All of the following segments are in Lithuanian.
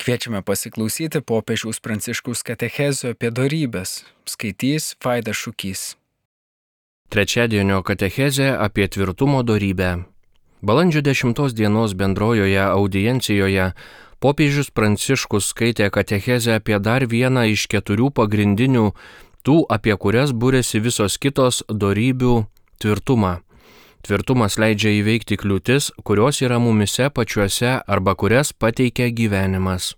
Kviečiame pasiklausyti popiežiaus Pranciškaus katechezių apie dorybes. Skaitys Vaidas Šukys. Trečiadienio katechezė apie tvirtumo dorybę. Balandžio 10 dienos bendrojoje audiencijoje popiežius Pranciškus skaitė katechezę apie dar vieną iš 4 pagrindinių, tų, apie kurias būrėsi visos kitos dorybių tvirtumą. Tvirtumas leidžia įveikti kliūtis, kurios yra mumise pačiuose arba kurias pateikia gyvenimas.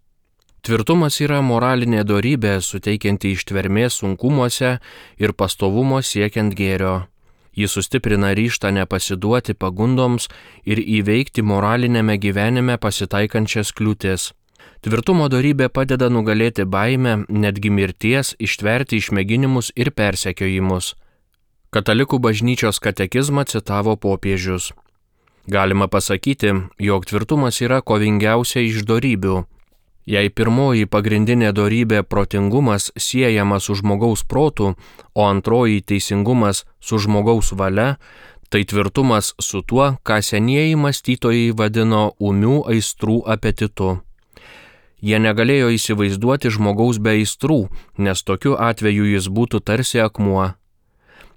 Tvirtumas yra moralinė dorybė, suteikianti ištvermės sunkumuose ir pastovumo siekiant gėrio. Ji sustiprina ryžtą nepasiduoti pagundoms ir įveikti moralinėme gyvenime pasitaikančias kliūtis. Tvirtumo dorybė padeda nugalėti baimę, netgi mirties, ištverti išmėginimus ir persekiojimus. Katalikų bažnyčios katekizmą citavo popiežius. Galima pasakyti, jog tvirtumas yra kovingiausia iš dorybių. Jei pirmoji pagrindinė dorybė protingumas siejama su žmogaus protu, o antroji teisingumas su žmogaus valia, tai tvirtumas su tuo, ką senieji mąstytojai vadino ūmių aistrų apetitu. Jie negalėjo įsivaizduoti žmogaus be aistrų, nes tokiu atveju jis būtų tarsi akmuo.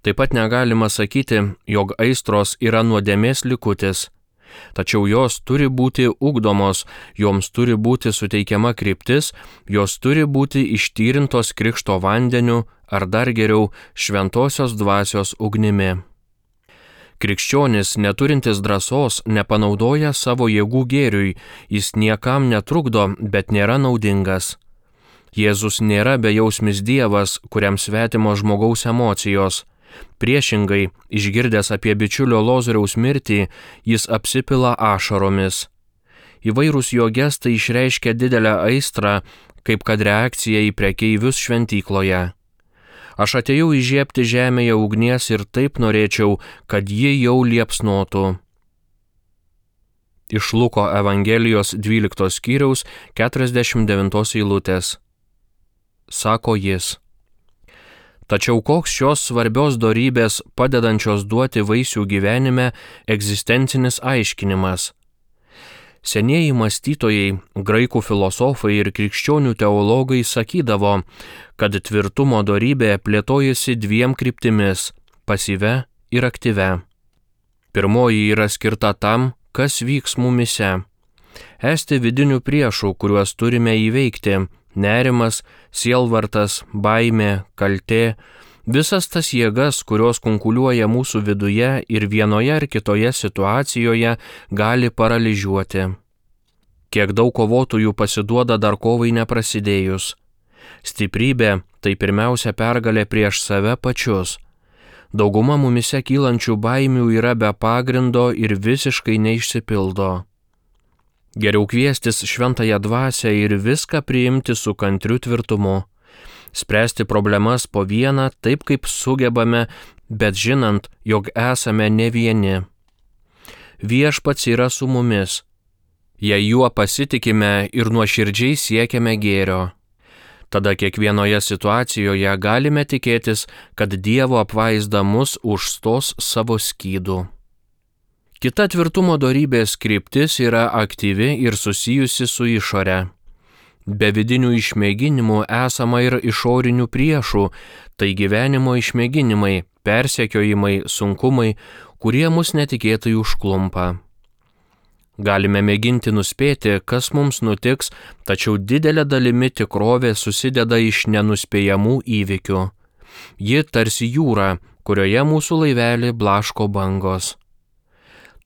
Taip pat negalima sakyti, jog aistros yra nuodėmės likutis. Tačiau jos turi būti ugdomos, joms turi būti suteikiama kryptis, jos turi būti ištyrintos krikšto vandeniu ar dar geriau šventosios dvasios ugnimi. Krikščionis, neturintis drąsos, nepanaudoja savo jėgų gėriui, jis niekam netrukdo, bet nėra naudingas. Jėzus nėra bejausmis Dievas, kuriam svetimo žmogaus emocijos. Priešingai, išgirdęs apie bičiulio Lozoriaus mirtį, jis apsipila ašaromis. Įvairūs jo gestai išreiškia didelę aistrą, kaip kad reakcija į prekeivius šventykloje. Aš atėjau įžiebti žemėje ugnies ir taip norėčiau, kad ji jau liepsnotų. Iš Luko Evangelijos 12 skyriaus 49 eilutės. Sako jis. Tačiau koks šios svarbios dorybės padedančios duoti vaisių gyvenime egzistencinis aiškinimas? Senieji mąstytojai, graikų filosofai ir krikščionių teologai sakydavo, kad tvirtumo dorybė plėtojasi 2 kryptimis – pasyvia ir aktyvia. Pirmoji yra skirta tam, kas vyks mumise. Esti vidinių priešų, kuriuos turime įveikti – nerimas, sielvartas, baimė, kaltė, visas tas jėgas, kurios kunkuliuoja mūsų viduje ir vienoje ar kitoje situacijoje gali paralyžiuoti. Kiek daug kovotojų pasiduoda dar kovai neprasidėjus. Stiprybė – tai pirmiausia pergalė prieš save pačius. Dauguma mumise kylančių baimių yra be pagrindo ir visiškai neišsipildo. Geriau kviestis šventąją dvasią ir viską priimti su kantriu tvirtumu. Spręsti problemas po vieną taip, kaip sugebame, bet žinant, jog esame ne vieni. Viešpats yra su mumis. Jei juo pasitikime ir nuoširdžiai siekiame gėrio. Tada kiekvienoje situacijoje galime tikėtis, kad Dievo apvaizda mus užstos savo skydu. Kita tvirtumo dorybės kryptis yra aktyvi ir susijusi su išore. Be vidinių išmėginimų esama ir išorinių priešų, tai gyvenimo išmėginimai, persekiojimai, sunkumai, kurie mus netikėtai užklumpa. Galime mėginti nuspėti, kas mums nutiks, tačiau didelė dalimi tikrovė susideda iš nenuspėjamų įvykių. Ji tarsi jūra, kurioje mūsų laivelį blaško bangos.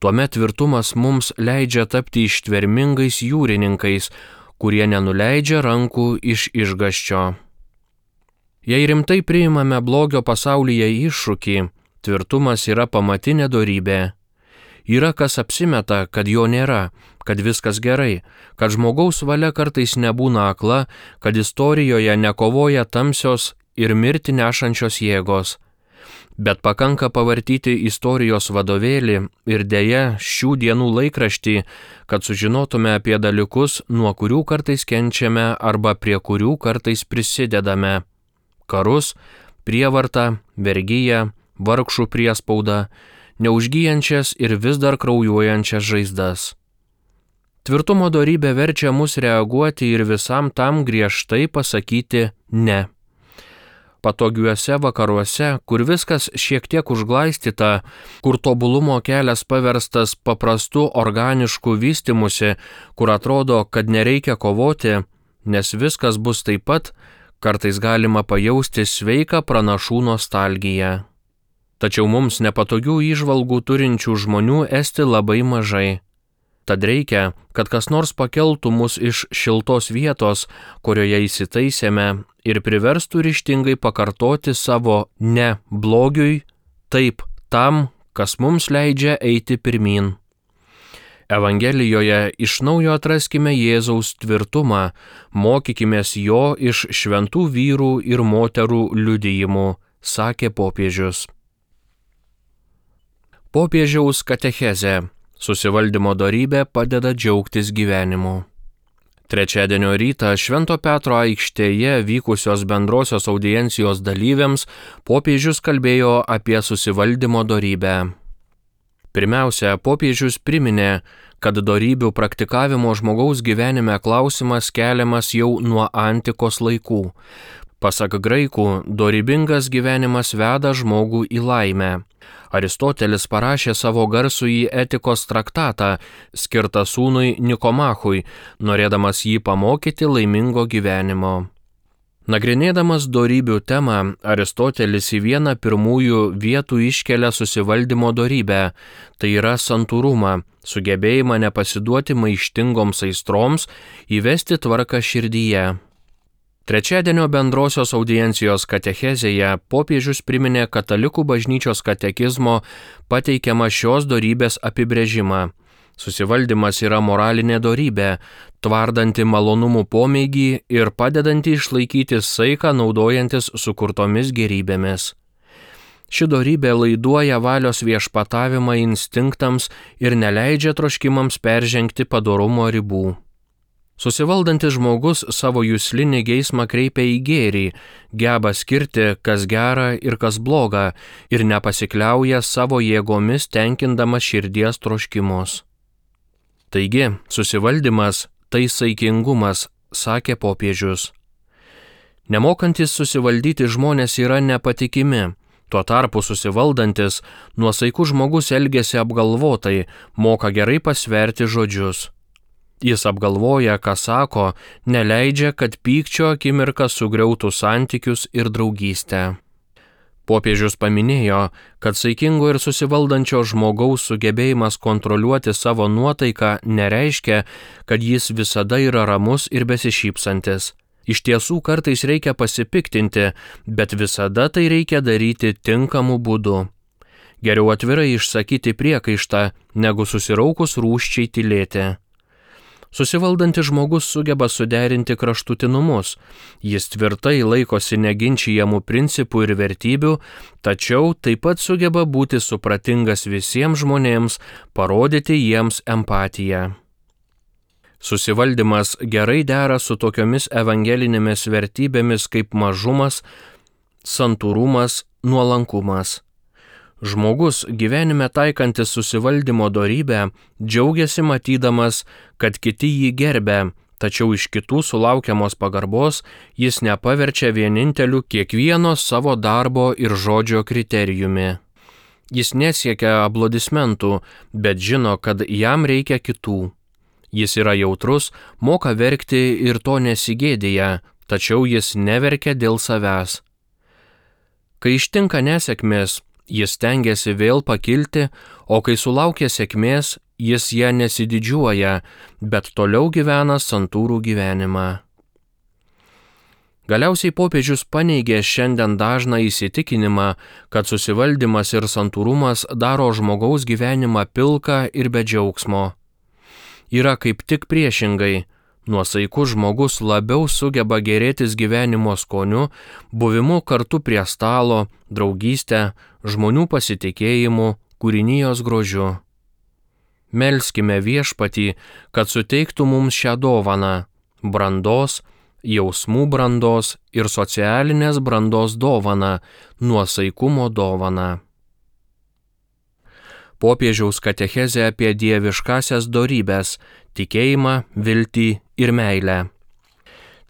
Tuomet tvirtumas mums leidžia tapti ištvermingais jūrininkais, kurie nenuleidžia rankų iš išgąsčio. Jei rimtai priimame blogio pasaulyje iššūkį, tvirtumas yra pamatinė dorybė. Yra kas apsimeta, kad jo nėra, kad viskas gerai, kad žmogaus valia kartais nebūna akla, kad istorijoje nekovoja tamsios ir mirtį nešančios jėgos. Bet pakanka pavartyti istorijos vadovėlį ir deja šių dienų laikraštį, kad sužinotume apie dalykus, nuo kurių kartais kenčiame arba prie kurių kartais prisidedame. Karus, prievartą, vergiją, vargšų priespaudą, neužgyjančias ir vis dar kraujuojančias žaizdas. Tvirtumo dorybė verčia mus reaguoti ir visam tam griežtai pasakyti ne. Patogiuose vakaruose, kur viskas šiek tiek užglaistyta, kur tobulumo kelias paverstas paprastu organišku vystimusi, kur atrodo, kad nereikia kovoti, nes viskas bus taip pat, kartais galima pajausti sveiką pranašų nostalgiją. Tačiau mums nepatogių įžvalgų turinčių žmonių esti labai mažai. Tad reikia, kad kas nors pakeltų mus iš šiltos vietos, kurioje įsitaisėme, ir priverstų ryžtingai pakartoti savo ne blogiui, taip tam, kas mums leidžia eiti pirmyn. Evangelijoje iš naujo atraskime Jėzaus tvirtumą, mokykimės jo iš šventų vyrų ir moterų liudijimų, sakė popiežius. Popiežiaus katechezė. Susivaldymo dorybė padeda džiaugtis gyvenimu. Trečiadienio rytą Švento Petro aikštėje vykusios bendrosios audiencijos dalyviams popiežius kalbėjo apie susivaldymo dorybę. Pirmiausia, popiežius priminė, kad dorybių praktikavimo žmogaus gyvenime klausimas keliamas jau nuo antikos laikų. Pasak graikų, dorybingas gyvenimas veda žmogų į laimę. Aristotelis parašė savo garsųjį etikos traktatą, skirtą sūnui Nikomachui, norėdamas jį pamokyti laimingo gyvenimo. Nagrinėdamas dorybių temą, Aristotelis į vieną pirmųjų vietų iškelia susivaldymo dorybę, tai yra santūrumą, sugebėjimą nepasiduoti maištingoms aistroms, įvesti tvarką širdyje. Trečiadienio bendrosios audiencijos katechezėje popiežius priminė katalikų bažnyčios katekizmo pateikiamą šios dorybės apibrėžimą. Susivaldymas yra moralinė dorybė, tvardanti malonumų pomėgį ir padedanti išlaikyti saiką naudojantis sukurtomis gėrybėmis. Ši dorybė laiduoja valios viešpatavimą instinktams ir neleidžia troškimams peržengti padorumo ribų. Susivaldantis žmogus savo juslinį geismą kreipia į gėrį, geba skirti, kas gera ir kas bloga, ir nepasikliauja savo jėgomis tenkindamas širdies troškimus. Taigi, susivaldymas tai saikingumas, sakė popiežius. Nemokantis susivaldyti žmonės yra nepatikimi, tuo tarpu susivaldantis, nuosaikus žmogus elgiasi apgalvotai, moka gerai pasverti žodžius. Jis apgalvoja, ką sako, neleidžia, kad pykčio akimirka sugriautų santykius ir draugystę. Popiežius paminėjo, kad saikingo ir susivaldančio žmogaus sugebėjimas kontroliuoti savo nuotaiką nereiškia, kad jis visada yra ramus ir besišypsantis. Iš tiesų kartais reikia pasipiktinti, bet visada tai reikia daryti tinkamu būdu. Geriau atvirai išsakyti priekaištą, negu susiraukus rūsčiai tylėti. Susivaldantis žmogus sugeba suderinti kraštutinumus. Jis tvirtai laikosi neginčijamų principų ir vertybių, tačiau taip pat sugeba būti supratingas visiems žmonėms, parodyti jiems empatiją. Susivaldymas gerai dera su tokiomis evangelinėmis vertybėmis kaip mažumas, santūrumas, nuolankumas. Žmogus gyvenime taikantis susivaldymo dorybę džiaugiasi matydamas, kad kiti jį gerbia, tačiau iš kitų sulaukiamos pagarbos jis nepaverčia vieninteliu kiekvieno savo darbo ir žodžio kriterijumi. Jis nesiekia aplodismentų, bet žino, kad jam reikia kitų. Jis yra jautrus, moka verkti ir to nesigėdėja, tačiau jis neverkia dėl savęs. Kai ištinka nesėkmės, jis stengiasi vėl pakilti, o kai sulaukia sėkmės, jis ją nesididžiuoja, bet toliau gyvena santūrų gyvenimą. Galiausiai popiežius paneigė šiandien dažną įsitikinimą, kad susivaldymas ir santūrumas daro žmogaus gyvenimą pilką ir be džiaugsmo. Yra kaip tik priešingai. Nuosaikus žmogus labiau sugeba gėrėtis gyvenimo skoniu, buvimu kartu prie stalo, draugystę, žmonių pasitikėjimu, kūrinijos grožiu. Melskime Viešpatį, kad suteiktų mums šią dovaną – brandos, jausmų brandos ir socialinės brandos dovaną, nuosaikumo dovaną. popiežiaus katechezė apie dieviškasias dorybes – tikėjimą, viltį ir meilę.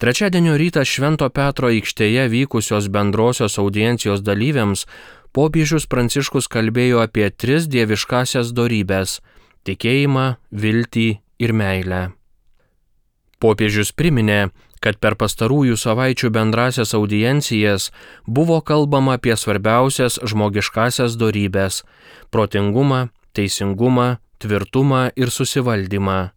Trečiadienio rytą Švento Petro aikštėje vykusios bendrosios audiencijos dalyviams popiežius Pranciškus kalbėjo apie 3 dieviškasias dorybes – tikėjimą, viltį ir meilę. Popiežius priminė, kad per pastarųjų savaičių bendrasias audiencijas buvo kalbama apie svarbiausias žmogiškasias dorybes – protingumą, teisingumą, tvirtumą ir susivaldymą.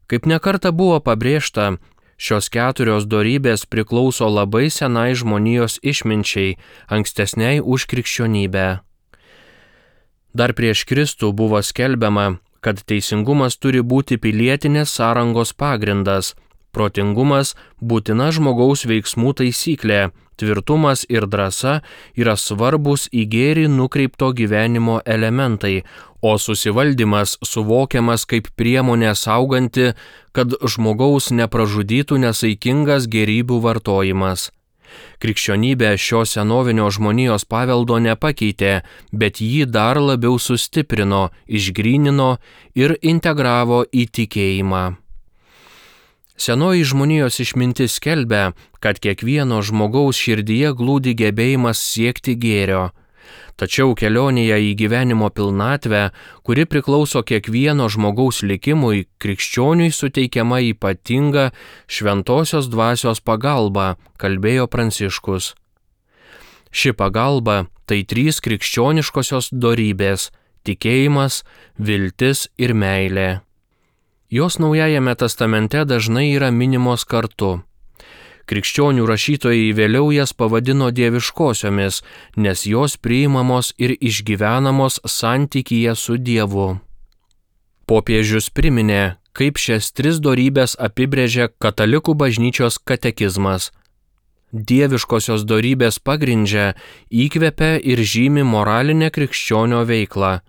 Kaip nekarta buvo pabrėžta, šios 4 dorybės priklauso labai senai žmonijos išminčiai, ankstesniai už krikščionybę. Dar prieš Kristų buvo skelbiama, kad teisingumas turi būti pilietinės sąrangos pagrindas, protingumas būtina žmogaus veiksmų taisyklė, tvirtumas ir drąsa yra svarbus į gėrį nukreipto gyvenimo elementai, o susivaldymas suvokiamas kaip priemonė sauganti, kad žmogaus nepražudytų nesaikingas gėrybių vartojimas. Krikščionybė šio senovinio žmonijos paveldo nepakeitė, bet jį dar labiau sustiprino, išgrynino ir integravo į tikėjimą. Senoji žmonijos išmintis skelbia, kad kiekvieno žmogaus širdyje glūdi gebėjimas siekti gėrio. Tačiau kelionėje į gyvenimo pilnatvę, kuri priklauso kiekvieno žmogaus likimui, krikščioniui suteikiama ypatinga šventosios dvasios pagalba, kalbėjo Pranciškus. Ši pagalba tai 3 krikščioniškosios dorybės – tikėjimas, viltis ir meilė. Jos Naujajame testamente dažnai yra minimos kartu. Krikščionių rašytojai vėliau jas pavadino dieviškosiomis, nes jos priimamos ir išgyvenamos santykyje su Dievu. Popiežius priminė, kaip šias 3 dorybės apibrėžia Katalikų bažnyčios katekizmas. Dieviškosios dorybės pagrindžia, įkvepia ir žymi moralinę krikščionio veiklą.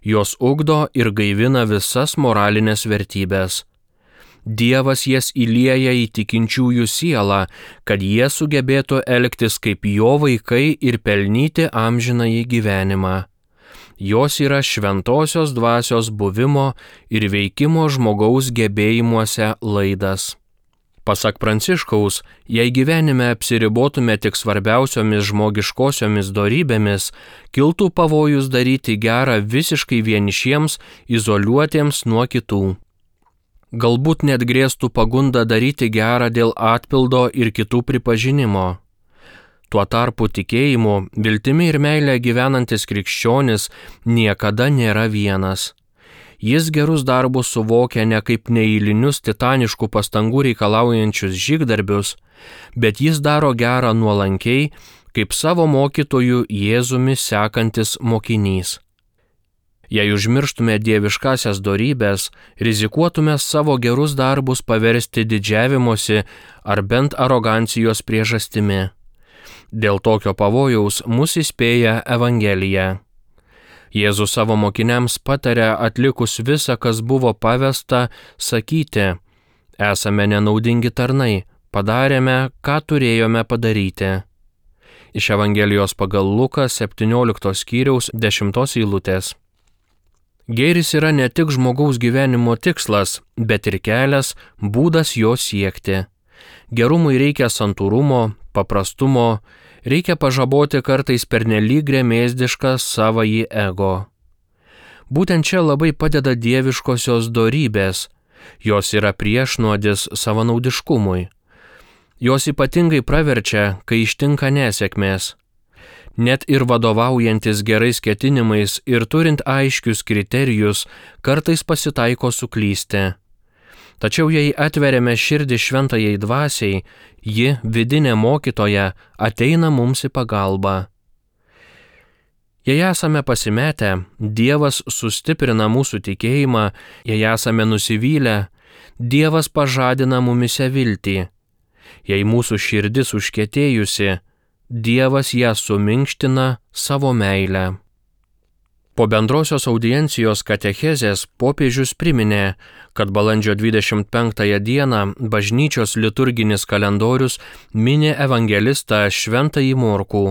Jos ugdo ir gaivina visas moralinės vertybės. Dievas jas įlieja į tikinčiųjų sielą, kad jie sugebėtų elgtis kaip jo vaikai ir pelnyti amžinąjį gyvenimą. Jos yra šventosios dvasios buvimo ir veikimo žmogaus gebėjimuose laidas. Pasak Pranciškaus, jei gyvenime apsiribotume tik svarbiausiomis žmogiškosiomis dorybėmis, kiltų pavojus daryti gerą visiškai vienišiems, izoliuotiems nuo kitų. Galbūt net grėstų pagunda daryti gerą dėl atpildo ir kitų pripažinimo. Tuo tarpu tikėjimu, viltimi ir meilė gyvenantis krikščionis niekada nėra vienas. Jis gerus darbus suvokia ne kaip neeilinius titaniškų pastangų reikalaujančius žygdarbius, bet jis daro gerą nuolankiai, kaip savo mokytojų Jėzumi sekantis mokinys. Jei užmirštume dieviškasias dorybės, rizikuotume savo gerus darbus paversti didžiavimosi ar bent arogancijos priežastimi. Dėl tokio pavojaus mus įspėja Evangelija. Jėzus savo mokiniams pataria atlikus visą, kas buvo pavesta, sakyti: esame nenaudingi tarnai, padarėme, ką turėjome padaryti. Iš Evangelijos pagal Luką 17 skyriaus 10 eilutės. Gėris yra ne tik žmogaus gyvenimo tikslas, bet ir kelias, būdas jo siekti. Gerumui reikia santūrumo, paprastumo, reikia pažaboti kartais pernelyg gremėzdišką savąjį ego. Būtent čia labai padeda dieviškosios dorybės. Jos yra priešnuodis savanaudiškumui. Jos ypatingai praverčia, kai ištinka nesėkmės. Net ir vadovaujantis gerais ketinimais ir turint aiškius kriterijus, kartais pasitaiko suklysti. Tačiau jei atveriame širdį šventajai dvasiai, ji, vidinė mokytoja, ateina mums į pagalbą. Jei esame pasimetę, Dievas sustiprina mūsų tikėjimą, jei esame nusivylę, Dievas pažadina mumise viltį. Jei mūsų širdis užkietėjusi, Dievas ją suminkština savo meilę. Po bendrosios audiencijos katechezės popiežius priminė, kad balandžio 25 dieną bažnyčios liturginis kalendorius mini evangelistą Šventąjį Morkų.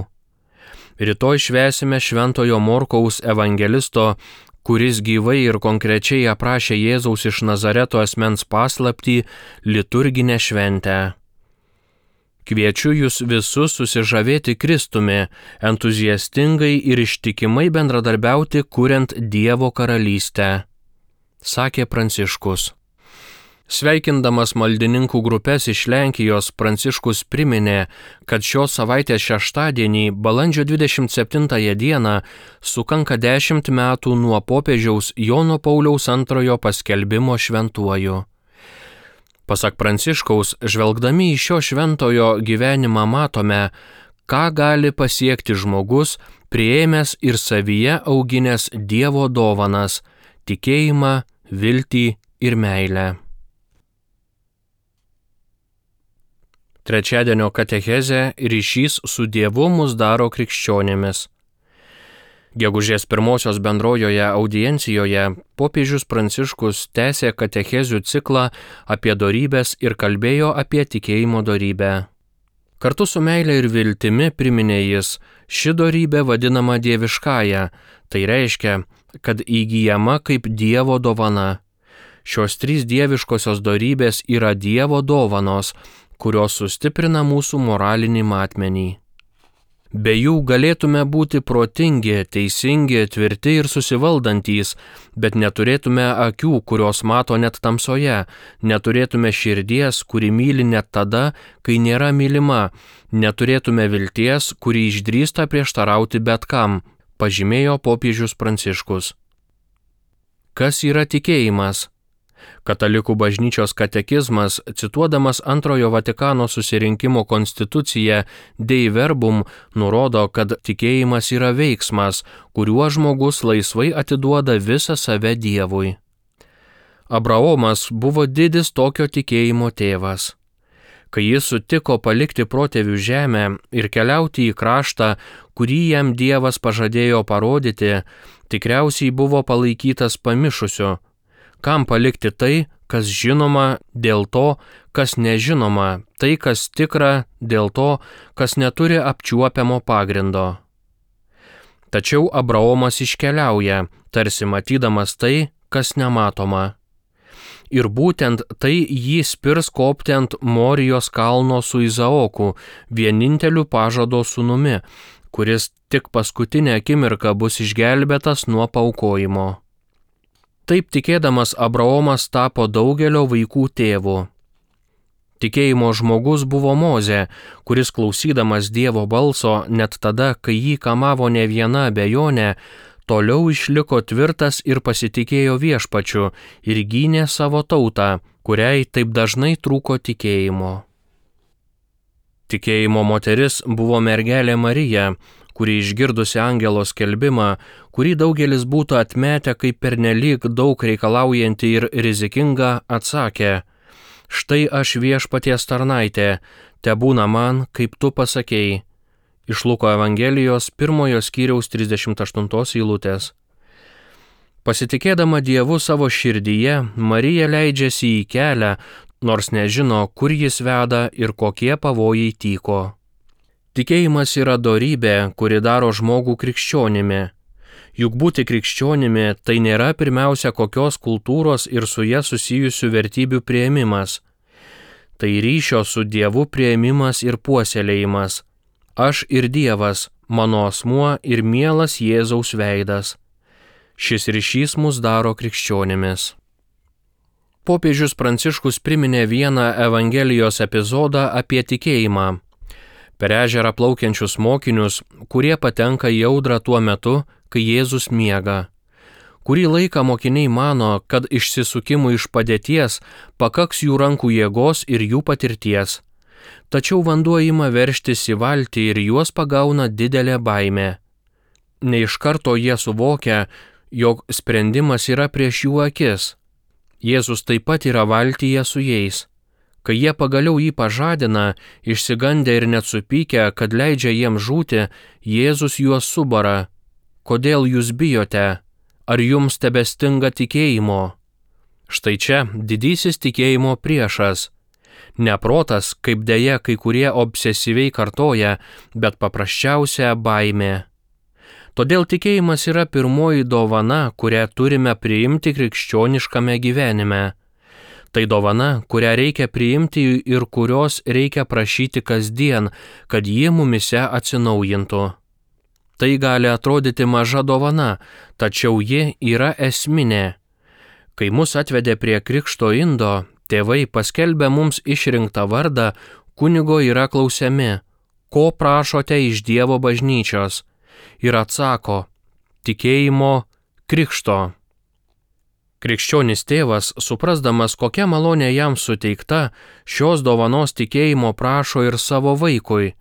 Rytoj švęsime Šventojo Morkaus evangelisto, kuris gyvai ir konkrečiai aprašė Jėzaus iš Nazareto asmens paslaptį, liturginę šventę. Kviečiu jūs visus susižavėti Kristumi, entuziastingai ir ištikimai bendradarbiauti, kuriant Dievo karalystę, sakė Pranciškus. Sveikindamas maldininkų grupės iš Lenkijos, Pranciškus priminė, kad šios savaitės šeštadienį, balandžio 27 dieną, sukanka 10 metų nuo popiežiaus Jono Pauliaus II paskelbimo šventuoju. Pasak Pranciškaus, žvelgdami į šio šventojo gyvenimą matome, ką gali pasiekti žmogus, priėmęs ir savyje auginęs Dievo dovanas – tikėjimą, viltį ir meilę. Trečiadienio katechezė ryšys su Dievu mus daro krikščionimis. Gegužės 1 bendrojoje audiencijoje popiežius Pranciškus tęsė katechezių ciklą apie dorybes ir kalbėjo apie tikėjimo dorybę. Kartu su meile ir viltimi priminė jis, ši dorybė vadinama dieviškąja, tai reiškia, kad įgyjama kaip Dievo dovana. Šios 3 dieviškosios dorybės yra Dievo dovanos, kurios sustiprina mūsų moralinį matmenį. Be jų galėtume būti protingi, teisingi, tvirti ir susivaldantys, bet neturėtume akių, kurios mato net tamsoje, neturėtume širdies, kuri myli net tada, kai nėra mylima, neturėtume vilties, kuri išdrįsta prieštarauti bet kam, pažymėjo popiežius Pranciškus. Kas yra tikėjimas? Katalikų bažnyčios katekizmas, cituodamas Antrojo Vatikano susirinkimo konstituciją Dei Verbum, nurodo, kad tikėjimas yra veiksmas, kuriuo žmogus laisvai atiduoda visą save Dievui. Abraomas buvo didis tokio tikėjimo tėvas. Kai jis sutiko palikti protėvių žemę ir keliauti į kraštą, kurį jam Dievas pažadėjo parodyti, tikriausiai buvo palaikytas pamišusiu. Kam palikti tai, kas žinoma, dėl to, kas nežinoma, tai, kas tikra, dėl to, kas neturi apčiuopiamo pagrindo. Tačiau Abraomas iškeliauja, tarsi matydamas tai, kas nematoma. Ir būtent tai jį spirs kopti ant Morijos kalno su Izaoku, vieninteliu pažado sūnumi, kuris tik paskutinę akimirką bus išgelbėtas nuo paaukojimo. Taip tikėdamas Abraomas tapo daugelio vaikų tėvu. Tikėjimo žmogus buvo Mozė, kuris klausydamas Dievo balso net tada, kai jį kamavo ne viena abejonė, toliau išliko tvirtas ir pasitikėjo Viešpačiu ir gynė savo tautą, kuriai taip dažnai trūko tikėjimo. Tikėjimo moteris buvo mergelė Marija, kuri išgirdusi angelo skelbimą, kurį daugelis būtų atmetę kaip pernelyg daug reikalaujantį ir rizikingą, atsakė: štai aš Viešpaties tarnaitė, tebūna man, kaip tu pasakei. Iš Luko Evangelijos 1 skyriaus 38 eilutės. Pasitikėdama Dievu savo širdyje, Marija leidžiasi į kelią, nors nežino, kur jis veda ir kokie pavojai tyko. Tikėjimas yra dorybė, kuri daro žmogų krikščionimi. Juk būti krikščionimi tai nėra pirmiausia kokios kultūros ir su ja susijusių vertybių priėmimas. Tai ryšio su Dievu priėmimas ir puoselėjimas. Aš ir Dievas, mano asmuo ir mielas Jėzaus veidas. Šis ryšys mus daro krikščionimis. Popiežius Pranciškus priminė vieną Evangelijos epizodą apie tikėjimą. Per ežerą plaukiančius mokinius, kurie patenka į audrą tuo metu, kai Jėzus miega. Kurį laiką mokiniai mano, kad išsisukimui iš padėties pakaks jų rankų jėgos ir jų patirties. Tačiau vanduo ima veržtis į valtį ir juos pagauna didelė baimė. Ne iš karto jie suvokia, jog sprendimas yra prieš jų akis. Jėzus taip pat yra valtyje su jais. Kai jie pagaliau jį pažadina, išsigandę ir net supykę, kad leidžia jiems žūti, Jėzus juos subara: kodėl jūs bijote? Ar jums tebestinga tikėjimo? Štai čia didysis tikėjimo priešas. Ne protas, kaip deja kai kurie obsesyviai kartoja, bet paprasčiausia baimė. Todėl tikėjimas yra pirmoji dovana, kurią turime priimti krikščioniškame gyvenime. Tai dovana, kurią reikia priimti ir kurios reikia prašyti kasdien, kad ji mumise atsinaujintų. Tai gali atrodyti maža dovana, tačiau ji yra esminė. Kai mus atvedė prie krikšto indo, tėvai paskelbė mums išrinktą vardą, kunigo yra klausiami, ko prašote iš Dievo bažnyčios, ir atsako, tikėjimo, krikšto. Krikščionis tėvas, suprasdamas, kokia malonė jam suteikta, šios dovanos tikėjimo prašo ir savo vaikui.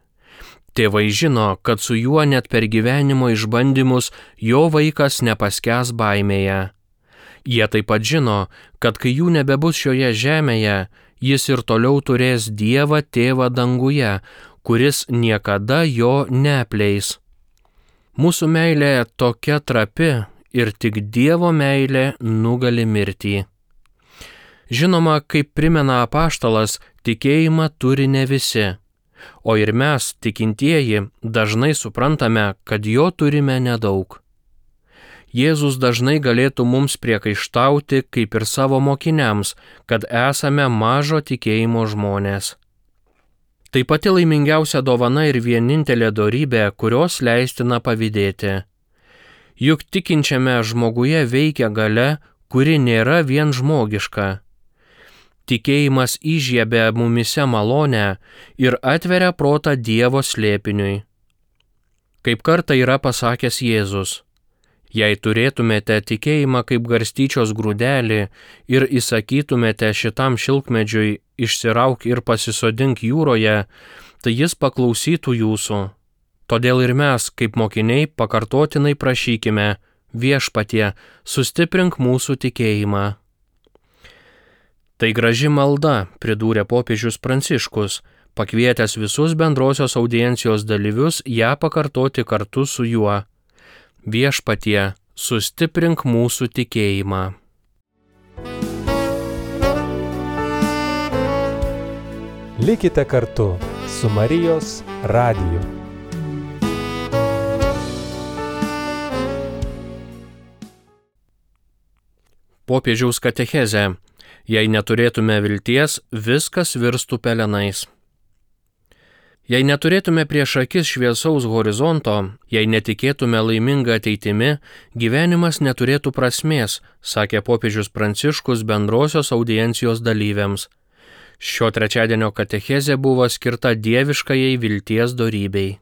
Tėvai žino, kad su juo net per gyvenimo išbandymus jo vaikas nepaskęs baimėje. Jie taip pat žino, kad kai jų nebebus šioje žemėje, jis ir toliau turės Dievą Tėvą danguje, kuris niekada jo neapleis. Mūsų meilė tokia trapi ir tik Dievo meilė nugali mirtį. Žinoma, kaip primena apaštalas, tikėjimą turi ne visi, o ir mes, tikintieji, dažnai suprantame, kad jo turime nedaug. Jėzus dažnai galėtų mums priekaištauti, kaip ir savo mokiniams, kad esame mažo tikėjimo žmonės. Tai pati laimingiausia dovana ir vienintelė dorybė, kurios leistina pavydėti. Juk tikinčiame žmoguje veikia galia, kuri nėra vien žmogiška. Tikėjimas įžiebia mumise malonę ir atveria protą Dievo slėpiniui. Kaip kartą yra pasakęs Jėzus, jei turėtumėte tikėjimą kaip garstyčios grūdelį ir įsakytumėte šitam šilkmedžiui išsirauk ir pasisodink jūroje, tai jis paklausytų jūsų. Todėl ir mes, kaip mokiniai, pakartotinai prašykime, Viešpatie, sustiprink mūsų tikėjimą. Tai graži malda, pridūrė popiežius Pranciškus, pakvietęs visus bendrosios audiencijos dalyvius ją pakartoti kartu su juo. Viešpatie, sustiprink mūsų tikėjimą. Likite kartu su Marijos radiju. Popiežiaus katechezė. Jei neturėtume vilties, viskas virstų pelenais. Jei neturėtume prieš akis šviesaus horizonto, jei netikėtume laimingą ateitimi, gyvenimas neturėtų prasmės, sakė popiežius Pranciškus bendrosios audiencijos dalyviams. Šio trečiadienio katechezė buvo skirta dieviškajai vilties dorybei.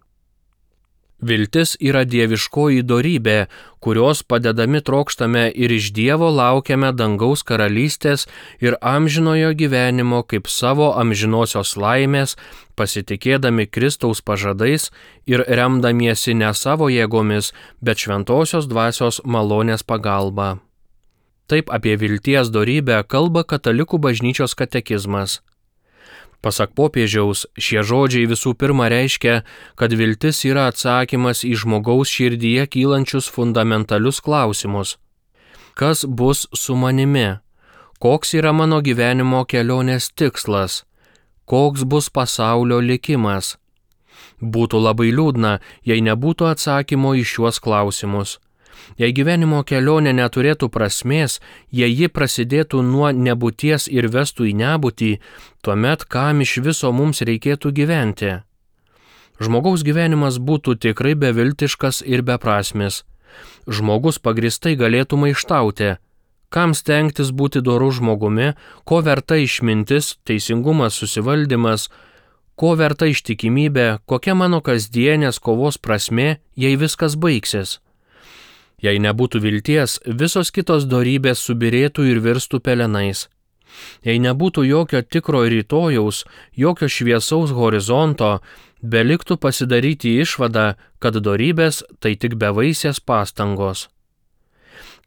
Viltis yra dieviškoji dorybė, kurios padedami trokštame ir iš Dievo laukiame dangaus karalystės ir amžinojo gyvenimo kaip savo amžinosios laimės, pasitikėdami Kristaus pažadais ir remdamiesi ne savo jėgomis, bet šventosios dvasios malonės pagalba. Taip apie vilties dorybę kalba katalikų bažnyčios katekizmas. Pasak popiežiaus, šie žodžiai visų pirma reiškia, kad viltis yra atsakymas į žmogaus širdyje kylančius fundamentalius klausimus. Kas bus su manimi? Koks yra mano gyvenimo kelionės tikslas? Koks bus pasaulio likimas? Būtų labai liūdna, jei nebūtų atsakymo į šiuos klausimus. Jei gyvenimo kelionė neturėtų prasmės, jei ji prasidėtų nuo nebūties ir vestų į nebūtį, tuomet kam iš viso mums reikėtų gyventi? Žmogaus gyvenimas būtų tikrai beviltiškas ir beprasmis. Žmogus pagristai galėtų maištauti. Kam stengtis būti doru žmogumi, ko verta išmintis, teisingumas, susivaldymas, ko verta ištikimybė, kokia mano kasdienės kovos prasmė, jei viskas baigsis? Jei nebūtų vilties, visos kitos dorybės subirėtų ir virstų pelenais. Jei nebūtų jokio tikro rytojaus, jokio šviesaus horizonto, beliktų pasidaryti išvadą, kad dorybės tai tik bevaisės pastangos.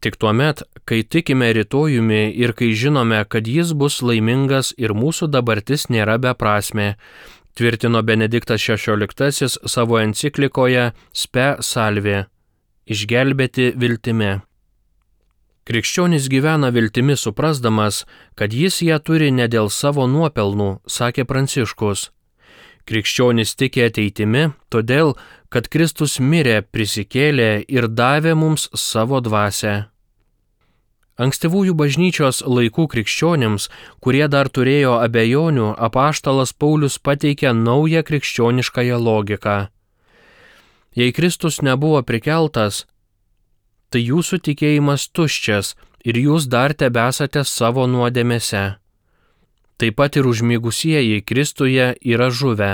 Tik tuomet, kai tikime rytojumi ir kai žinome, kad jis bus laimingas ir mūsų dabartis nėra beprasmė, tvirtino Benediktas XVI savo enciklikoje Spe Salve. Išgelbėti viltimi. Krikščionis gyvena viltimi suprasdamas, kad jis ją turi ne dėl savo nuopelnų, sakė Pranciškus. Krikščionys tiki ateitimi, todėl, kad Kristus mirė, prisikėlė ir davė mums savo dvasią. Ankstyvųjų bažnyčios laikų krikščionims, kurie dar turėjo abejonių, apaštalas Paulius pateikė naują krikščioniškąją logiką. Jei Kristus nebuvo prikeltas, tai jūsų tikėjimas tuščias ir jūs dar tebesate savo nuodėmėse. Taip pat ir užmigusieji Kristuje yra žuvę.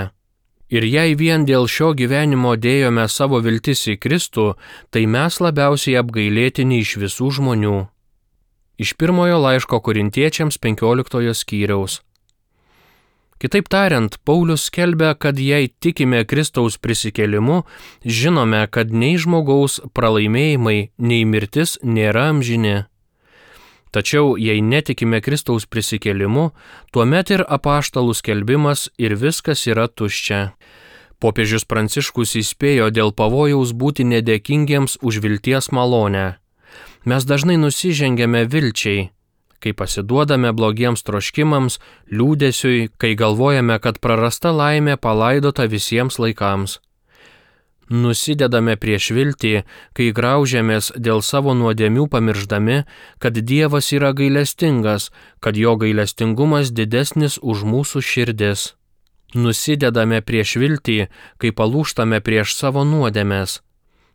Ir jei vien dėl šio gyvenimo dėjome savo viltis į Kristų, tai mes labiausiai apgailėtini iš visų žmonių. Iš pirmojo laiško Korintiečiams 15 skyriaus. Kitaip tariant, Paulius skelbia, kad jei tikime Kristaus prisikėlimu, žinome, kad nei žmogaus pralaimėjimai, nei mirtis nėra amžini. Tačiau, jei netikime Kristaus prisikėlimu, tuomet ir apaštalų skelbimas ir viskas yra tuščia. Popiežius Pranciškus įspėjo dėl pavojaus būti nedėkingiems už vilties malonę. Mes dažnai nusižengiame vilčiai, kai pasiduodame blogiems troškimams, liūdesiui, kai galvojame, kad prarasta laimė palaidota visiems laikams. Nusidedame prieš viltį, kai graužiamės dėl savo nuodėmių pamirždami, kad Dievas yra gailestingas, kad jo gailestingumas didesnis už mūsų širdis. Nusidedame prieš viltį, kai palūžtame prieš savo nuodėmes.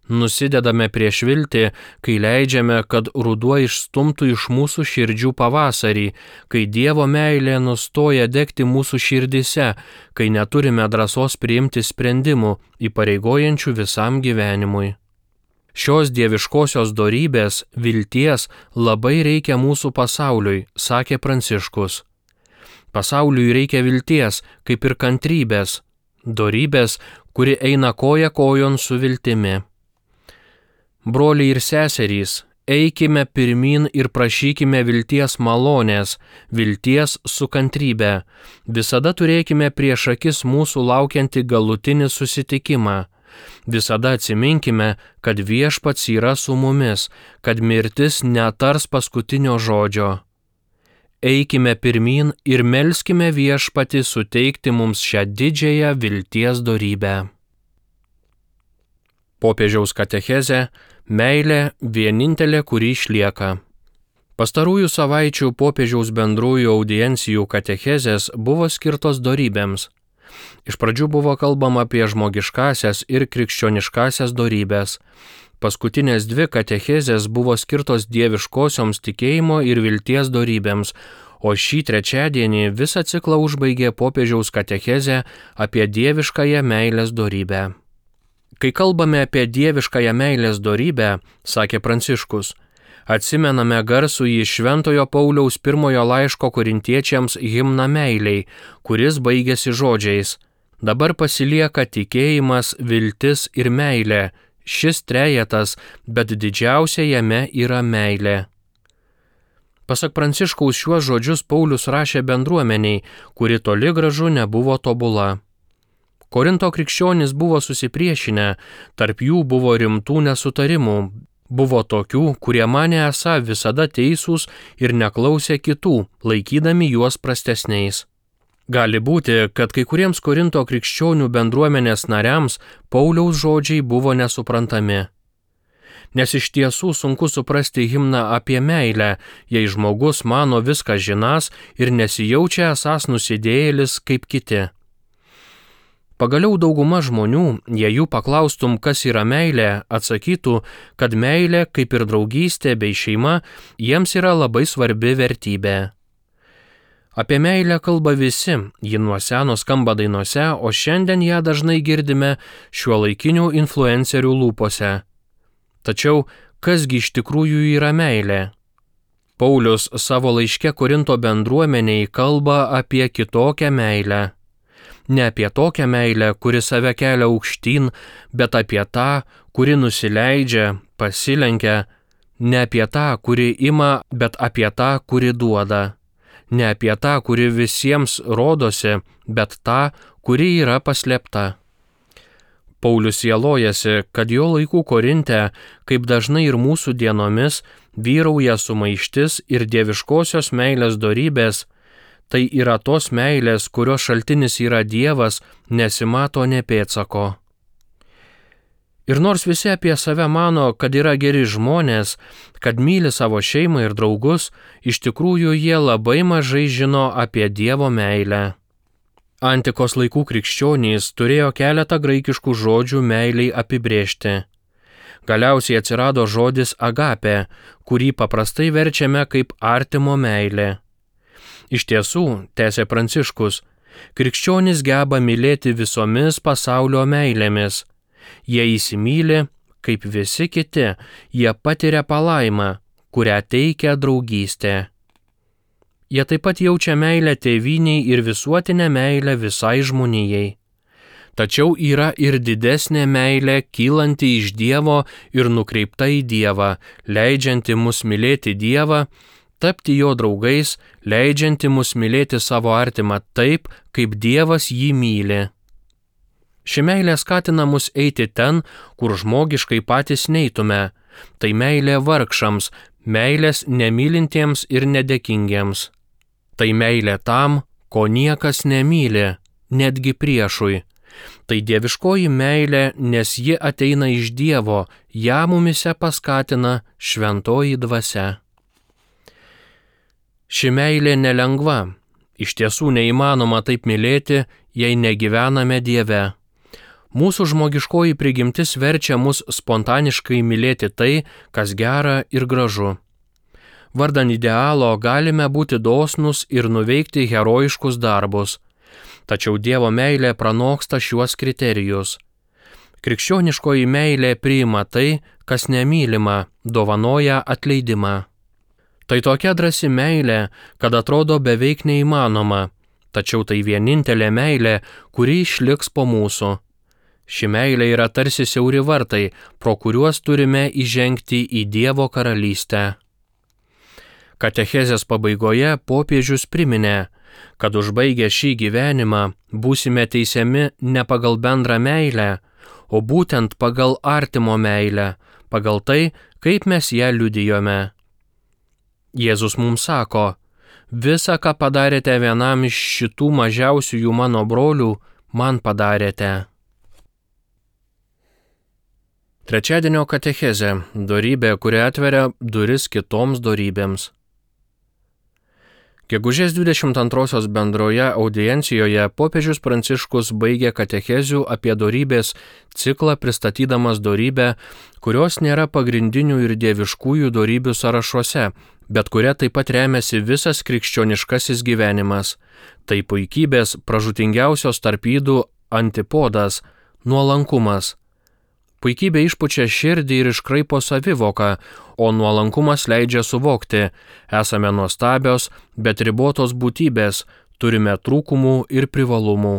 Nusidedame prieš viltį, kai leidžiame, kad ruduo išstumtų iš mūsų širdžių pavasarį, kai Dievo meilė nustoja degti mūsų širdise, kai neturime drąsos priimti sprendimų, įpareigojančių visam gyvenimui. Šios dieviškosios dorybės, vilties, labai reikia mūsų pasauliui, sakė Pranciškus. Pasauliui reikia vilties, kaip ir kantrybės, dorybės, kuri eina koja kojon su viltimi. Broliai ir seserys, eikime pirmin ir prašykime vilties malonės, vilties su kantrybe. Visada turėkime prieš akis mūsų laukiantį galutinį susitikimą. Visada atsiminkime, kad Viešpats yra su mumis, kad mirtis netars paskutinio žodžio. Eikime pirmin ir melskime Viešpatį suteikti mums šią didžiąją vilties dorybę. Popiežiaus katechezė – meilė vienintelė, kuri išlieka. Pastarųjų savaičių popiežiaus bendrųjų audiencijų katechezės buvo skirtos dorybėms. Iš pradžių buvo kalbama apie žmogiškasias ir krikščioniškasias dorybės. Paskutinės dvi katechezės buvo skirtos dieviškosioms tikėjimo ir vilties dorybėms, o šį trečiadienį visą ciklą užbaigė popiežiaus katechezė apie dieviškąją meilės dorybę. Kai kalbame apie dieviškąją meilės dorybę, sakė Pranciškus, atsimename garsųjį Šventojo Pauliaus pirmojo laiško Korintiečiams himną meiliai, kuris baigėsi žodžiais: dabar pasilieka tikėjimas, viltis ir meilė, šis trejetas, bet didžiausia jame yra meilė. Pasak Pranciškaus, šiuos žodžius Paulius rašė bendruomeniai, kuri toli gražu nebuvo tobula. Korinto krikščionys buvo susipriešinę, tarp jų buvo rimtų nesutarimų, buvo tokių, kurie manė esą visada teisūs ir neklausė kitų, laikydami juos prastesniais. Gali būti, kad kai kuriems Korinto krikščionių bendruomenės nariams Pauliaus žodžiai buvo nesuprantami. Nes iš tiesų sunku suprasti himną apie meilę, jei žmogus mano viską žinąs ir nesijaučia esąs nusidėjėlis kaip kiti. Pagaliau dauguma žmonių, jei jų paklaustum, kas yra meilė, atsakytų, kad meilė, kaip ir draugystė bei šeima, jiems yra labai svarbi vertybė. Apie meilę kalba visi, ji nuo seno skamba dainose, o šiandien ją dažnai girdime šiuolaikinių influencerių lūpose. Tačiau, kasgi iš tikrųjų yra meilė? Paulius savo laiške Korinto bendruomeniai kalba apie kitokią meilę. Ne apie tokią meilę, kuri save kelia aukštyn, bet apie tą, kuri nusileidžia, pasilenkia, ne apie tą, kuri ima, bet apie tą, kuri duoda, ne apie tą, kuri visiems rodosi, bet tą, kuri yra paslėpta. Paulius sielojasi, kad jo laikų Korinte, kaip dažnai ir mūsų dienomis, vyrauja sumaištis ir dieviškosios meilės dorybės, Tai yra tos meilės, kurios šaltinis yra Dievas, nesimato nė pėdsako. Ir nors visi apie save mano, kad yra geri žmonės, kad myli savo šeimą ir draugus, iš tikrųjų jie labai mažai žino apie Dievo meilę. Antikos laikų krikščionys turėjo keletą graikiškų žodžių meiliai apibrėžti. Galiausiai atsirado žodis agapė, kurį paprastai verčiame kaip artimo meilė. Iš tiesų, tęsė Pranciškus, krikščionys geba mylėti visomis pasaulio meilėmis. Jie įsimyli, kaip visi kiti, jie patiria palaimą, kurią teikia draugystė. Jie taip pat jaučia meilę tėvynei ir visuotinę meilę visai žmonijai. Tačiau yra ir didesnė meilė, kylanti iš Dievo ir nukreipta į Dievą, leidžianti mus mylėti Dievą, tapti jo draugais, leidžianti mus mylėti savo artimą taip, kaip Dievas jį myli. Ši meilė skatina mus eiti ten, kur žmogiškai patys neitume. Tai meilė vargšams, meilės nemylintiems ir nedėkingiems. Tai meilė tam, ko niekas nemyli, netgi priešui. Tai dieviškoji meilė, nes ji ateina iš Dievo, ją mumise paskatina šventoji dvasia. Ši meilė nelengva, iš tiesų neįmanoma taip mylėti, jei negyvename Dieve. Mūsų žmogiškoji prigimtis verčia mus spontaniškai mylėti tai, kas gera ir gražu. Vardan idealo galime būti dosnūs ir nuveikti herojiškus darbus. Tačiau Dievo meilė pranoksta šiuos kriterijus. Krikščioniškoji meilė priima tai, kas nemylima, dovanoja atleidimą. Tai tokia drąsi meilė, kad atrodo beveik neįmanoma, tačiau tai vienintelė meilė, kuri išliks po mūsų. Ši meilė yra tarsi siauri vartai, pro kuriuos turime įžengti į Dievo karalystę. Katechezės pabaigoje popiežius priminė, kad užbaigę šį gyvenimą būsime teisiami ne pagal bendrą meilę, o būtent pagal artimo meilę, pagal tai, kaip mes ją liudijome. Jėzus mums sako, visa, ką padarėte vienam iš šitų mažiausiųjų mano brolių, man padarėte. Trečiadienio katechezė – dorybė, kuri atveria duris kitoms dorybėms. Gegužės 22 bendroje audiencijoje popiežius Pranciškus baigė katechezių apie dorybės ciklą pristatydamas dorybę, kurios nėra pagrindinių ir dieviškųjų dorybių sąrašuose, bet kuria taip pat remiasi visas krikščioniškasis gyvenimas. Tai puikybės pražūtingiausios tarp ydų antipodas – nuolankumas. Puikybė išpučia širdį ir iškraipo savivoką, o nuolankumas leidžia suvokti, esame nuostabios, bet ribotos būtybės, turime trūkumų ir privalumų.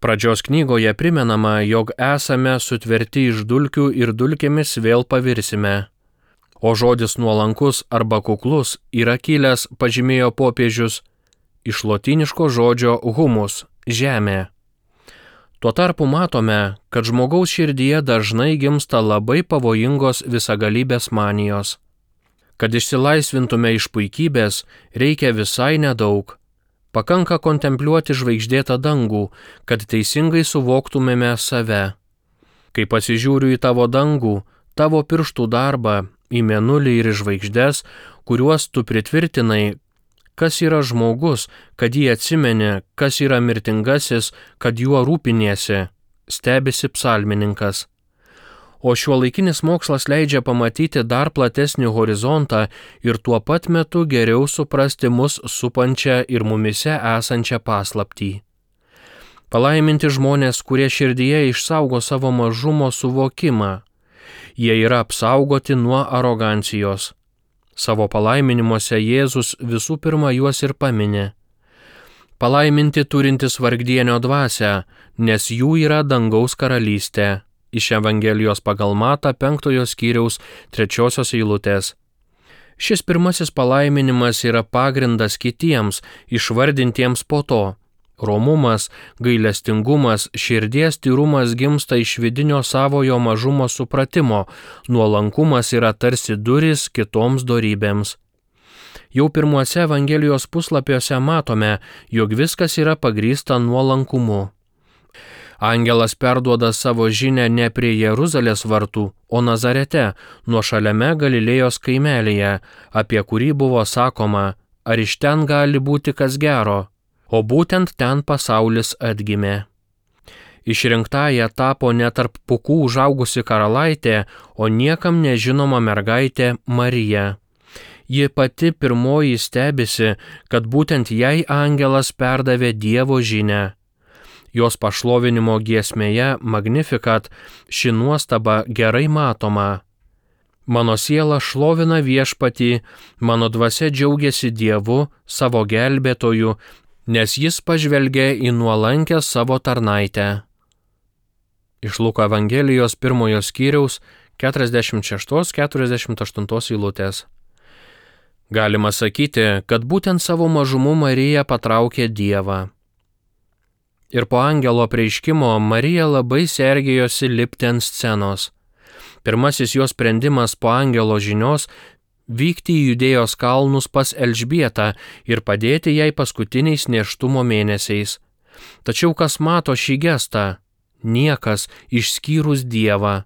Pradžios knygoje primenama, jog esame sutverti iš dulkių ir dulkėmis vėl pavirsime. O žodis nuolankus arba kuklus yra kilęs, pažymėjo popiežius, iš lotyniško žodžio humus – žemė. Tuo tarpu matome, kad žmogaus širdyje dažnai gimsta labai pavojingos visagalybės manijos. Kad išsilaisvintume iš puikybės, reikia visai nedaug. Pakanka kontempliuoti žvaigždėtą dangų, kad teisingai suvoktumėme save. Kai pasižiūriu į tavo dangų, tavo pirštų darbą, į mėnulį ir į žvaigždes, kuriuos tu pritvirtinai, kas yra žmogus, kad jį atsimeni, kas yra mirtingasis, kad juo rūpiniesi, stebisi psalmininkas. O šiuolaikinis mokslas leidžia pamatyti dar platesnį horizontą ir tuo pat metu geriau suprasti mus supančią ir mumise esančią paslaptį. Palaiminti žmonės, kurie širdyje išsaugo savo mažumo suvokimą. Jie yra apsaugoti nuo arogancijos. Savo palaiminimuose Jėzus visų pirma juos ir paminė. Palaiminti turintis vargdienio dvasią, nes jų yra dangaus karalystė. Iš Evangelijos pagal Matą 5 skyriaus 3 eilutės. Šis pirmasis palaiminimas yra pagrindas kitiems, išvardintiems po to. Romumas, gailestingumas, širdies tyrumas gimsta iš vidinio savojo mažumo supratimo, nuolankumas yra tarsi durys kitoms dorybėms. Jau pirmuose Evangelijos puslapiuose matome, jog viskas yra pagrįsta nuolankumu. Angelas perduoda savo žinią ne prie Jeruzalės vartų, o Nazarete, nuošaliame Galilėjos kaimelyje, apie kurį buvo sakoma, ar iš ten gali būti kas gero, o būtent ten pasaulis atgimė. Išrinktąja tapo ne tarp pūkų užaugusi karalaitė, o niekam nežinoma mergaitė Marija. Ji pati pirmoji stebisi, kad būtent jai angelas perdavė Dievo žinią. Jos pašlovinimo giesmėje Magnificat ši nuostaba gerai matoma. Mano siela šlovina Viešpatį, mano dvasia džiaugiasi Dievu, savo gelbėtoju, nes jis pažvelgė į nuolankę savo tarnaitę. Iš Luko Evangelijos 1 skyriaus 46-48 eilutės. Galima sakyti, kad būtent savo mažumu Marija patraukė Dievą. Ir po angelo apreiškimo Marija labai sergėjosi lipti ant scenos. Pirmasis jos sprendimas po angelo žinios vykti į Judėjos kalnus pas Elžbietą ir padėti jai paskutiniais nėštumo mėnesiais. Tačiau kas mato šį gestą? Niekas išskyrus Dievą.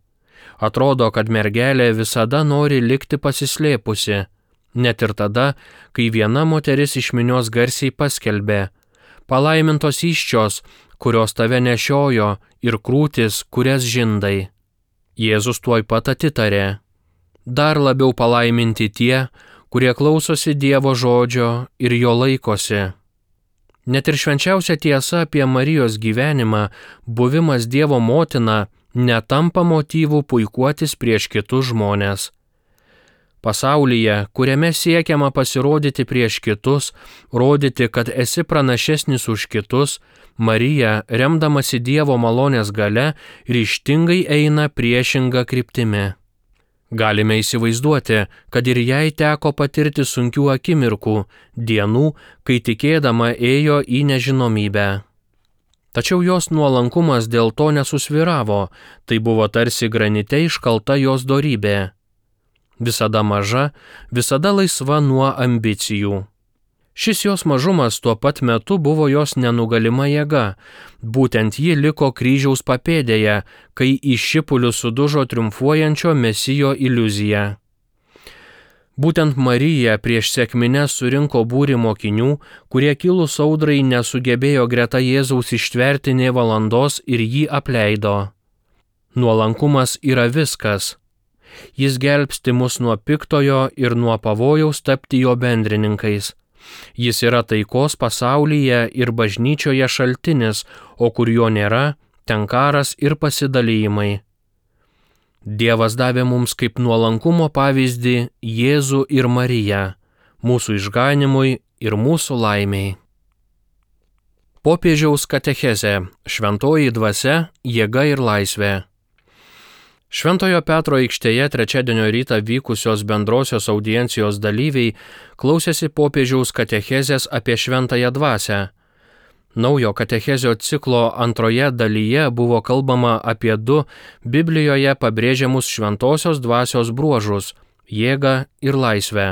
Atrodo, kad mergelė visada nori likti pasislėpusi, net ir tada, kai viena moteris iš minios garsiai paskelbė: palaimintos įsčios, kurios tave nešiojo, ir krūtis, kurias žindai. Jėzus tuoj pat atitarė: dar labiau palaiminti tie, kurie klausosi Dievo žodžio ir jo laikosi. Net ir švenčiausia tiesa apie Marijos gyvenimą, buvimas Dievo motina, netampa motyvų puikuotis prieš kitus žmones. Pasaulyje, kuriame siekiama pasirodyti prieš kitus, rodyti, kad esi pranašesnis už kitus, Marija, remdamasi Dievo malonės galia, ryžtingai eina priešinga kryptimi. Galime įsivaizduoti, kad ir jai teko patirti sunkių akimirkų, dienų, kai tikėdama ėjo į nežinomybę. Tačiau jos nuolankumas dėl to nesusvyravo, tai buvo tarsi granite iškalta jos dorybė. Visada maža, visada laisva nuo ambicijų. Šis jos mažumas tuo pat metu buvo jos nenugalima jėga. Būtent ji liko kryžiaus papėdėje, kai į šipulius sudužo triumfuojančio Mesijo iliuzija. Būtent Marija prieš sekmines surinko būrį mokinių, kurie kilus audrai nesugebėjo greta Jėzaus ištverti nė valandos ir jį apleido. Nuolankumas yra viskas. Jis gelbsti mus nuo piktojo ir nuo pavojaus tapti jo bendrininkais. Jis yra taikos pasaulyje ir bažnyčioje šaltinis, o kur jo nėra, ten karas ir pasidalijimai. Dievas davė mums kaip nuolankumo pavyzdį Jėzų ir Mariją, mūsų išganimui ir mūsų laimiai. Popiežiaus katechezė – šventoji dvasia, jėga ir laisvė. Šventojo Petro aikštėje trečiadienio rytą vykusios bendrosios audiencijos dalyviai klausėsi popiežiaus katechezės apie šventąją dvasią. Naujo katechezio ciklo antroje dalyje buvo kalbama apie 2 Biblijoje pabrėžiamus šventosios dvasios bruožus – jėgą ir laisvę.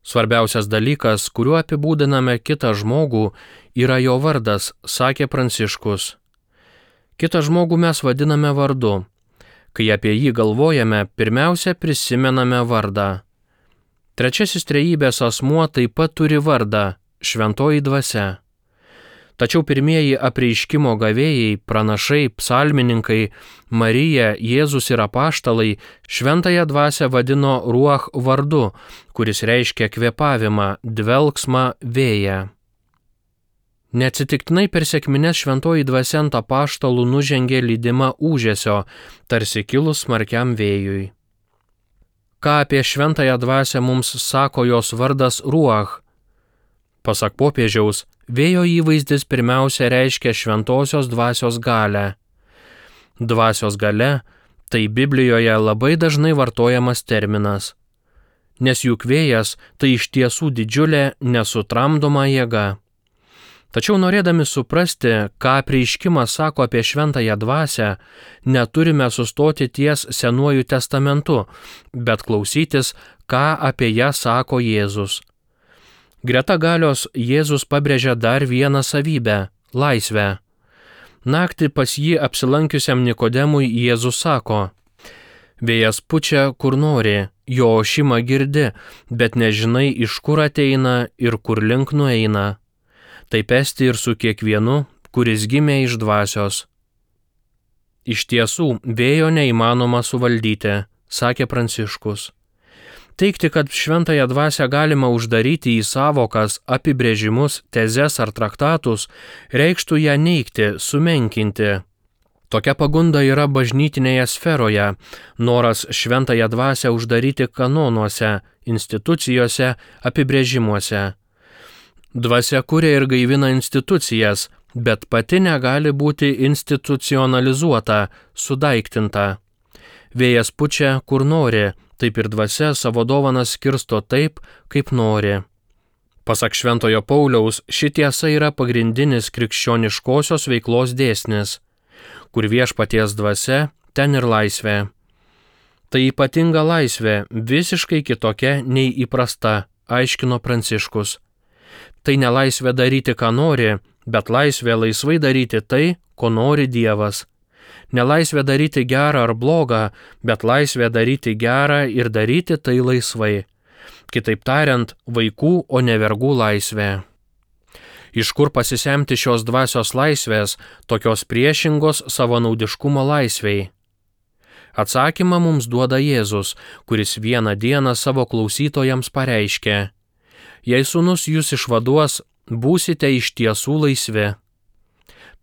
Svarbiausias dalykas, kuriuo apibūdiname kitą žmogų, yra jo vardas, sakė Pranciškus. Kitą žmogų mes vadiname vardu. Kai apie jį galvojame, pirmiausia prisimename vardą. Trečiasis trejybės asmuo taip pat turi vardą – šventoji dvasia. Tačiau pirmieji apreiškimo gavėjai, pranašai, psalmininkai, Marija, Jėzus ir apaštalai šventąją dvasią vadino ruach vardu, kuris reiškia kvėpavimą, dvelksmą, vėją. Neatsitiktinai per sekmines šventoji dvasia ant apaštalų nužengė lydima ūžesio, tarsi kilus smarkiam vėjui. Ką apie šventąją dvasią mums sako jos vardas ruach? Pasak popiežiaus, vėjo įvaizdis pirmiausia reiškia šventosios dvasios galią. Dvasios galia – tai Biblijoje labai dažnai vartojamas terminas. Nes juk vėjas tai iš tiesų didžiulė nesutramdoma jėga. Tačiau norėdami suprasti, ką apreiškimas sako apie šventąją dvasią, neturime sustoti ties Senuoju testamentu, bet klausytis, ką apie ją sako Jėzus. Greta galios Jėzus pabrėžia dar vieną savybę – laisvę. Naktį pas jį apsilankiusiam Nikodemui Jėzus sako: vėjas pučia, kur nori, jo ošimą girdi, bet nežinai, iš kur ateina ir kur link nueina. Taip esti ir su kiekvienu, kuris gimė iš dvasios. Iš tiesų, vėjo neįmanoma suvaldyti, sakė Pranciškus. Teigti, kad šventąją dvasią galima uždaryti į savokas, apibrėžimus, tezes ar traktatus, reikštų ją neigti, sumenkinti. Tokia pagunda yra bažnytinėje sferoje, noras šventąją dvasią uždaryti kanonuose, institucijose, apibrėžimuose. Dvasia kuria ir gaivina institucijas, bet pati negali būti institucionalizuota, sudaiktinta. Vėjas pučia, kur nori, taip ir dvasia savo dovanas skirsto taip, kaip nori. Pasak Šventojo Pauliaus, ši tiesa yra pagrindinis krikščioniškosios veiklos dėsnis. Kur viešpaties dvasia, ten ir laisvė. Tai ypatinga laisvė, visiškai kitokia nei įprasta, aiškino Pranciškus. Tai ne laisvė daryti, ką nori, bet laisvė laisvai daryti tai, ko nori Dievas. Nelaisvė daryti gerą ar blogą, bet laisvė daryti gerą ir daryti tai laisvai. Kitaip tariant, vaikų, o ne vergų laisvė. Iš kur pasisemti šios dvasios laisvės, tokios priešingos savanaudiškumo laisvei? Atsakymą mums duoda Jėzus, kuris vieną dieną savo klausytojams pareiškė: jei Sūnus jūs išvaduos, būsite iš tiesų laisvi.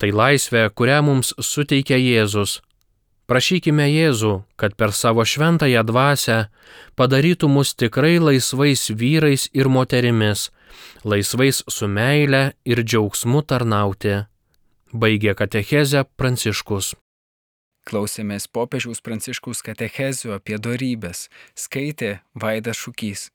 Tai laisvė, kurią mums suteikia Jėzus. Prašykime Jėzų, kad per savo šventąją dvasią padarytų mus tikrai laisvais vyrais ir moterimis, laisvais su meile ir džiaugsmu tarnauti. Baigė katechezę Pranciškus. Klausėmės popiežiaus Pranciškaus katechezių apie dorybes, skaitė Vaidas Šukys.